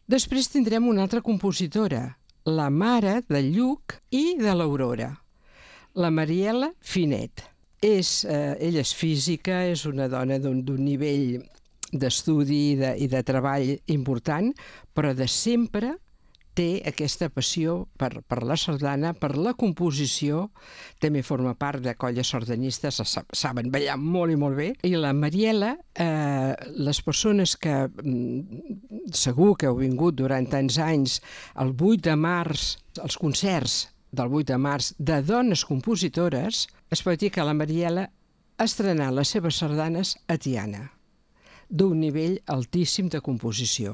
Després tindrem una altra compositora, la mare de Lluc i de l'Aurora, la Mariela Finet. Ella és física, és una dona d'un nivell d'estudi i de treball important, però de sempre té aquesta passió per la sardana, per la composició, també forma part de colles sardanistes, saben ballar molt i molt bé. I la Mariela, les persones que segur que heu vingut durant tants anys, el 8 de març, els concerts del 8 de març de dones compositores, es pot dir que la Mariela ha estrenat les seves sardanes a Tiana, d'un nivell altíssim de composició.